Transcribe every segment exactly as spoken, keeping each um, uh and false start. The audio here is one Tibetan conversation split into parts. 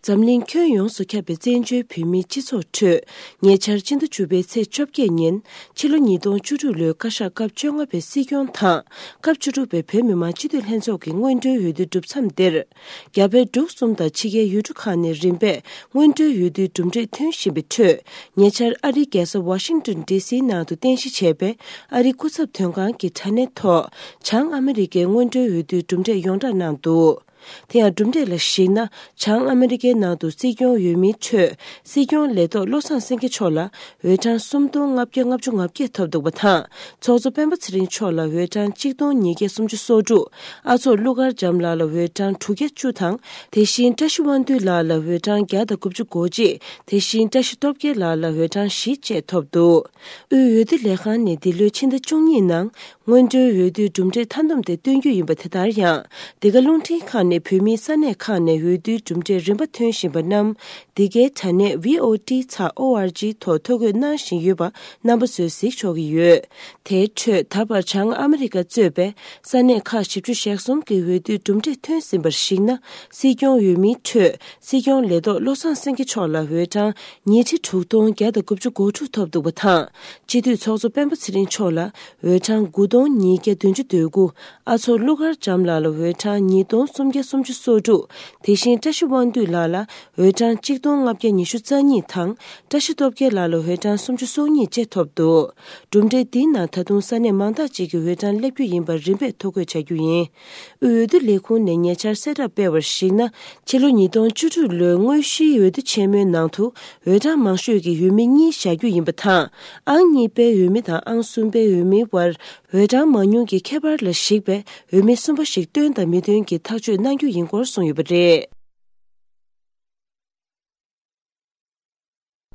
འཛམ་གླིང་ཁྱོན་ཡོངས་སུ་ཁྱབ་པའི་བཙན་བྱོལ་བོད་མིའི་སྤྱི་ཚོགས་ཁྲོད། ཉེ་ཆར་ཕྱི་ཟླ་བཅུ་པའི་ཚེས་བཅོ་བརྒྱད་ཉིན། ཕྱི་ལོ་ཉིས་སྟོང་བཅུ་དྲུག་ལོའི་བཀའ་ཤག་སྐབས་བཅོ་ལྔ་པའི་སྲིད་སྐྱོང་དང་། སྐབས་བཅུ་དྲུག་པའི་བོད་མི་མང་སྤྱི་འཐུས་ལྷན་ཚོགས་ཀྱི་སྔོན་འགྲོའི་འོས་བསྡུའི་གྲུབ་མཚམས་འདིར། རྒྱ་བལ་འབྲུག་གསུམ་དང་ཕྱི་རྒྱལ་ཡུལ་གྲུ་ཁག་ནས་རིམ་པས་སྔོན་འགྲོའི་འོས་བསྡུའི་གྲུབ་འབྲས་ཐོན་བཞིན་པའི་ཁྲོད། ཉེ་ཆར་ཨ་རིའི་རྒྱལ་ས་ཝ་ཤིང་ཏོན་ཌི་སིའི་ནང་དུ་རྟེན་གཞི་བྱས་པའི་ཨ་རིའི་སྐུ་ཚབ་དོན་ཁང་གི་དྲ་གནས་ཐོག། བྱང་ཨ་མི་རི་ཀའི་སྔོན་འགྲོའི་འོས་བསྡུའི་གྲུབ་འབྲས་ཡོངས་བསྒྲགས་གནང་འདུག། དེ་ཡང་གྲུབ་འབྲས་ལ་གཞིགས་ན། བྱང་ཨ་མི་རི་ཀའི་ནང་དུ་སྲིད་སྐྱོང་འོས་མིའི་ཁྲོད། སྲིད་སྐྱོང་ལས་ཐོག་བློ་བཟང་སེང་གེ་མཆོག་ལ་འོས་གྲངས་སུམ་སྟོང་ལྔ་བརྒྱ་ལྔ་བཅུ་ང་བརྒྱད་ཐོབ་འདུག་པ་དང་། ཚོགས་གཙོ་སྤེན་པ་ཚེ་རིང་མཆོག་ལ་འོས་གྲངས་གཅིག་སྟོང་ཉིས་བརྒྱ་སུམ་ཅུ་སོ་དྲུག། ཨ་ཚོགས་ཀླུ་མཁར་བྱམས་ལགས་ལ་འོས་གྲངས་དྲུག་བརྒྱ་བཅུ་དང་། དེ་བཞིན་བཀྲ་ཤིས་དབང་འདུས་ལགས་ལ་འོས་གྲངས་བརྒྱ་དང་དགུ་བཅུ་གོ་གཅིག། དེ་བཞིན་བཀྲ་ཤིས་སྟོབས་རྒྱལ་ལགས་ལ་འོས་གྲངས་བཞི་བཅས་ཐོབ་འདུག། དབུས་འོས་བསྡུ་ལས་ཁང་ནས་འདི་ལོའི་ཕྱི་ཟླ་བཅུ་གཉིས་ནང་། སྔོན་འགྲོའི་འོས་བསྡུའི་གྲུབ་འབྲས་མཐའ་འདོམས་དེ་སྟོན་རྒྱུ་ཡིན་པ་དེ་ལྟར་ཡང་། འདི་ག་རླུང་འཕྲིན་ཁང་ནས་བོད་མིའི་ས་གནས་ཁག་ནས་འོས་བསྡུའི་གྲུབ་འབྲས་རིམ་པ་ཐོན་བཞིན་པ་རྣམས། འདི་གའི་དྲ་གནས་V O T ཚེག O R G ཐོག་ཐོ་འགོད་གནང་བཞིན་ཡོད་པ་རྣམ་པ་ཚོས་གཟིགས་ཆོག་གི་ཡོད། དེའི་ཁྲོད་ད་བར་བྱང་ཨ་མི་རི་ཀ་གཙོས་པའི་ས་གནས་ཁག་བཞི་བཅུ་ཞེ་གསུམ་གྱི་འོས་བསྡུའི་གྲུབ་འབྲས་ཐོན་ཟིན་པར་གཞིགས་ན། སྲིད་སྐྱོང་འོས་མིའི་ཁྲོད། སྲིད་སྐྱོང་ལས་ཐོག་བློ་བཟང་སེང་གེ་མཆོག་ལ་འོས་གྲངས་ཉིས་ཁྲི་དྲུག་སྟོང་བརྒྱ་དང་དགུ་བཅུ་གོ་དྲུག་ཐོབ་འདུག་པ་དང་། སྤྱི་འཐུས་ཚོགས་གཙོ་སྤེན་པ་ཚེ་རིང་མཆོག་ལ་འོས་གྲངས་དགུ་སྟོང་ཉིས་བརྒྱ་བདུན་ཅུ་དོན་དགུ། ཨ་ཚོགས་ཀླུ་མཁར་བྱམས་ལགས་ལ་འོས་གྲངས་ཉིས་སྟོང་སུམ་བརྒྱ་སུམ་ཅུ་སོ་དྲུག། དེ་བཞིན་བཀྲ་ཤིས་དབང་འདུས་ལགས་ལ་འོས་གྲངས་གཅིག་སྟོང་ལྔ་བརྒྱ་ཉི་ཤུ་རྩ་གཉིས་དང་། བཀྲ་ཤིས་སྟོབས་རྒྱལ་ལགས་ལ་འོས་གྲངས་སུམ་ཅུ་སོ་གཉིས་བཅས་ཐོབ་འདུག། གྲུབ་འབྲས་འདིའི་ནང་ད་དུང་ས་གནས་མང་དག་ཅིག་གི་འོས་གྲངས་སླེབས་རྒྱུ་ཡིན་པར་རིམ་པས་ཐོ་འགོད་བྱ་རྒྱུ་ཡིན། དབུས་འོས་བསྡུ་ལས་ཁུངས་ནས་ཉེ་ཆར་གསལ་བསྒྲགས་སྤེལ་བར་གཞིགས་ན། ཕྱི་ལོ་ཉིས་སྟོང་བཅུ་དྲུག་ལོའི་དངོས་གཞིའི་འོས་བསྡུ་ཆེན་མོའི་ནང་དུ་འོས་གྲངས་མང་ཤོས་ཀྱི་འོས་མི་གཉིས་བཞག་རྒྱུ་ཡིན་པ་དང་། ཨང་གཉིས་པའི་འོས་མི་དང་ཨང་གསུམ་པའི་འོས་མིའི་དབར་འོས་གྲངས་མང་ཉུང་གི་ཁྱད་པར་ལ་གཞིགས་པའི་འོས་མི་གསུམ་པ་ཞིག་བཏོན་དང་མི་བཏོན་གྱི་ཐག་གཅོད་གནང་རྒྱུ་ཡིན་སྐོར་གསུངས་ཡོད་པ་རེད།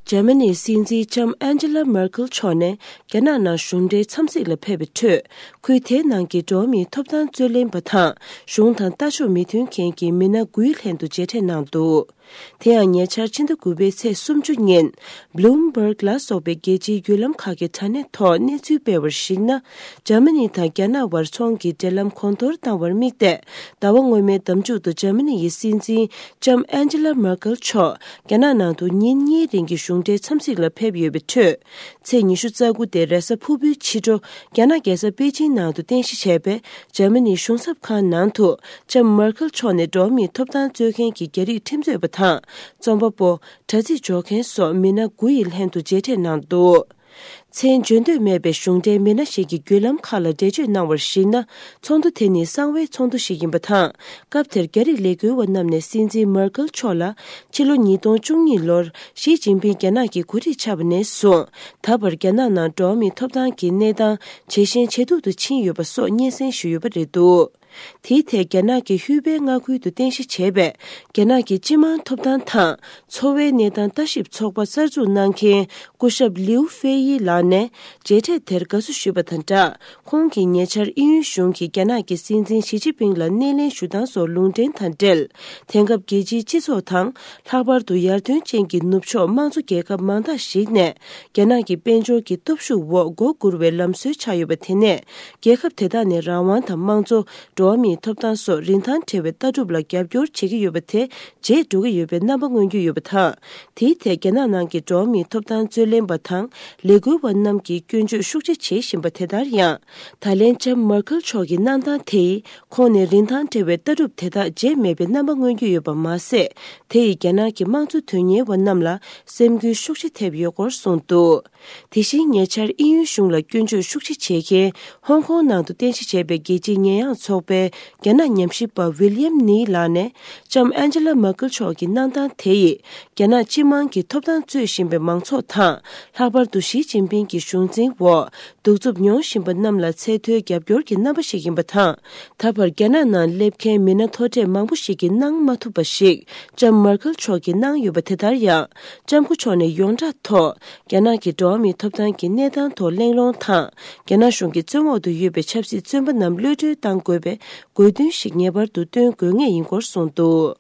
འཇར་མ་ནིའི་སྲིད་འཛིན་ལྕམ་ཨན་ཇེ་ལ་མར་ཁལ་མཆོག་ནས་རྒྱ་ནག་ནང་གཞུང་འབྲེལ་འཚམས་གཟིགས་ལ་ཕེབས་པའི་ཁྲོད། ཁུལ་དེའི་ནང་གི་འགྲོ་བ་མིའི་ཐོབ་ཐང་རྩོད་ལེན་པ་དང་གཞུང་དང་ལྟ་ཕྱོགས་མི་མཐུན་མཁན་གྱི་མི་སྣ་དགུའི་ལྷན་དུ་མཇལ་འཕྲད་གནང་འདུག། དེ་ཡང་ཉེ་ཆར་ཕྱི་ཟླ་དགུ་པའི་ཚེས་སུམ་ཅུ་ཉིན། Bloomberg ལ་སོགས་པའི་རྒྱལ་སྤྱིའི་བརྒྱུད་ལམ་ཁག་གི་དྲ་གནས་ཐོག་གནས་ཚུལ་སྤེལ་བར་གཞིགས་ན། འཇར་མ་ནི་དང་རྒྱ་ནག་དབར་ཚོང་གི་འབྲེལ་ལམ་གོང་མཐོར་བཏང་བར་དམིགས་ཏེ། ཟླ་བ་སྔོན་མའི་ཟླ་མཇུག་ཏུ་འཇར་མ་ནི་ཡི་སྲིད་འཛིན་ལྕམ་ཨན་ཇེ་ལ་མར་ཁལ་མཆོག་རྒྱ་ནག་ནང་དུ་ཉིན་གཉིས་རིང་གི་གཞུང་འབྲེལ་འཚམས་གཟིགས་ལ་ཕེབས་ཡོད་པའི་ཁྲོད། ཚེས་ཉི་ཤུ་རྩ་དགུ་སྟེ་རེས་གཟའ་ཕུར་བུའི་ཕྱི་དྲོ། རྒྱ་ནག་རྒྱལ་ས་པེ་ཅིང་ནང་དུ་རྟེན་གཞི་བྱས་པའི་འཇར་མ་ནིའི་གཞུང་ཚབ་ཁང་ནང་དུ། ལྕམ་མར་ཁལ་མཆོག་ནས་འགྲོ་བ་མིའི་ཐོབ་ཐང་རྩོད་མཁན་གྱི་རྒྱ་རིགས་ཁྲིམས་རྩོད་པ་དང་། རྩོམ་པ་པོ། དྲ་ཚིགས་འཇོག་མཁན་སོགས་མི་སྣ་དགུ་ཡི་ལྷན་དུ་མཇལ་འཕྲད་གནང་འདུག། མཚན་བརྗོད་འདོད་མེད་པའི་གཞུང་འབྲེལ་མི་སྣ་ཞིག་གིས་བརྒྱུད་ལམ་ཁག་ལ་འགྲེལ་བརྗོད་གནང་བར་གཞིགས་ན། ཚོགས་འདུ་དེ་ནི་གསང་བའི་ཚོགས་འདུ་ཞིག་ཡིན་པ་དང་། སྐབས་དེར་རྒྱ་རིགས་ལས་འགུལ་བ་རྣམས་ནས་སྲིད་འཛིན་མར་ཁལ་མཆོག་ལ། ཕྱི་ལོ་ཉིས་སྟོང་བཅུ་གཉིས་ལོར་ཞི་ཅིན་ཕིང་རྒྱ་ནག་གི་འགོ་ཁྲིད་ཆགས་པ་ནས་བཟུང་། ད་བར་རྒྱ་ནག་ནང་འགྲོ་བ་མིའི་ཐོབ་ཐང་གི་གནས་སྟངས་ཇེ་ཞན་ཇེ་སྡུག་ཏུ་ཕྱིན་ཡོད་པ་སོགས་སྙན་སེང་ཞུས་ཡོད་པ་རེད་འདུག། དེའི་ཐད་རྒྱ་ནག་གི་ཧུའུ་པེ་མངའ་ཁུལ་དུ་རྟེན་གཞི་བྱས་པའི་རྒྱ་ནག་གི་སྤྱི་དམངས་ཐོབ་ཐང་དང་འཚོ་བའི་གནས་སྟངས་ལྟ་ཞིབ་ཚོགས་པ་གསར་འཛུགས་གནང་མཁན་སྐུ་ཞབས་ལིའུ་ཧྥེ་ཡི་ལགས་ནས་མཇལ་འཕྲད་དེར་དགའ་བསུ་ཞུས་པ་དང་སྦྲགས། ཁོང་གིས་ཉེ་ཆར་དབྱིན་ཡུལ་གཞུང་གིས་རྒྱ་ནག་གི་སྲིད་འཛིན་ཞི་ཅིན་ཕིང་ལ་སྣེ་ལེན་ཞུ་སྟངས་སོགས་ལུང་འདྲེན་དང་འབྲེལ། དེང་སྐབས་རྒྱལ་སྤྱིའི་སྤྱི་ཚོགས་དང་། ལྷག་པར་དུ་ཡར་ཐོན་ཅན་གྱི་ནུབ་ཕྱོགས་དམངས་གཙོ་རྒྱལ་ཁབ་མང་དག་ཞིག་ནས། རྒྱ་ནག་གི་དཔལ་འབྱོར་གྱི་སྟོབས་ཤུགས་འོག་མགོ་སྒུར་བའི་ལམ་སྲོལ་ཆགས་ཡོད་པ་དེ་ནས། རྒྱལ་ཁབ་དེ་དག་ནས་རང་དབང་དང་དམངས་གཙོ། འགྲོ་བ་མིའི་ཐོབ་ཐང་སོགས་རིན་ཐང་བྲལ་བའི་ལྟ་གྲུབ་ལ་རྒྱབ་སྐྱོར་བྱེད་ཀྱི་ཡོད་པ་དེ་བརྗེད་འགྲོ་གི་ཡོད་པའི་རྣམ་པ་མངོན་གྱི་ཡོད་པ་དང་། དེའི་ཐད་རྒྱ་ནག་ནང་གི་འགྲོ་བ་མིའི་ཐོབ་ཐང་རྩོད་ལེན་པ་དང་ལས་འགུལ་བ་རྣམས་ཀྱིས་སྐྱོན་བརྗོད་ཤུགས་ཆེ་བྱེད་བཞིན་པ་དེ་ལྟར་ཡང་། ད་ལན་ལྕམ་མར་ཁལ་མཆོག་གི་གནང་སྟངས་དེ་ཡིས་ཁོང་ནས་རིན་ཐང་བྲལ་བའི་ལྟ་གྲུབ་དེ་དག་བརྗེད་མེད་པའི་རྣམ་པ་མངོན་གྱི་ཡོད་པ་མ་ཟད། དེ་ཡིས་རྒྱ་ནག་གི་དམངས་གཙོ་དོན་གཉེར་བ་རྣམས་ལ་སེམས་འགུལ་ཤུགས་ཆེ་ཐེབས་ཡོད་སྐོར་གསུངས་འདུག། དེ་བཞིན་ཉེ་ཆར་དབྱིན་ཡུལ་གཞུང་ལ་སྐྱོན་བརྗོད་ཤུགས་ཆེ་བྱེད་མཁན་ཧོང་ཀོང་ནང་དུ་རྟེན་གཞི་བྱས་པའི་རྒྱལ་སྤྱིའི་ཉེས་ཡངས་ཚོགས་པའི་རྒྱ་ནག་ཉམས་ཞིབ་པ་ཝི་ལི་ཡམ་ནི་ལགས་ནས། ལྕམ་ཨན་ཇེ་ལ་མར་ཀལ་མཆོག་གི་གནང་སྟངས་དེ་ཡིས། རྒྱ་ནག་སྤྱི་དམངས་ཀྱི་ཐོབ་ཐང་རྩོད་བཞིན་པའི་མང་ཚོགས་དང་། ལྷག་པར་དུ་ཞི་ཅིན་ཕིང་གི་གཞུང་འཛིན་འོག་གདུག་རྩུབ་མྱོང་བཞིན་པ་རྣམས་ལ་ཚད་མཐོའི་རྒྱབ་སྐྱོར་གྱི་རྣམ་པ་ཞིག་ཡིན་པ་དང་། ད་བར་རྒྱ་ནག་ནང་སླེབས་མཁན་མི་སྣ་མཐོ་གྲས་མང་པོ་ཞིག་གིས་གནང་མ་ཐུབ་པ་ཞིག་ལྕམ་མར་ཀལ་མཆོག་གིས་གནང་ཡོད་པ་དེ་ལྟར་ཡང་། ལྕམ་སྐུ་མཆོག་ནས་ཡོངས་གྲགས་ཐོག་རྒྱ་ནག་གི་འགྲོ་བ་མིའི་ཐོབ་ཐང་གི་གནས་སྟངས་ཐོག་གླེང་སློང་དང་། རྒྱ་ནག་གཞུང་གི་བཙོན་འོག་ཏུ་ཡོད་པའི་ཆབ་སྲིད་བཙོན་པ་རྣམས་གློད་གྲོལ་གཏང་དགོས་པའི་དགོས་འདུན་ཞིག་ངེས་པར་དུ་བཏོན་དགོས་ངེས་ཡིན་སྐོར་གསུངས་འདུག།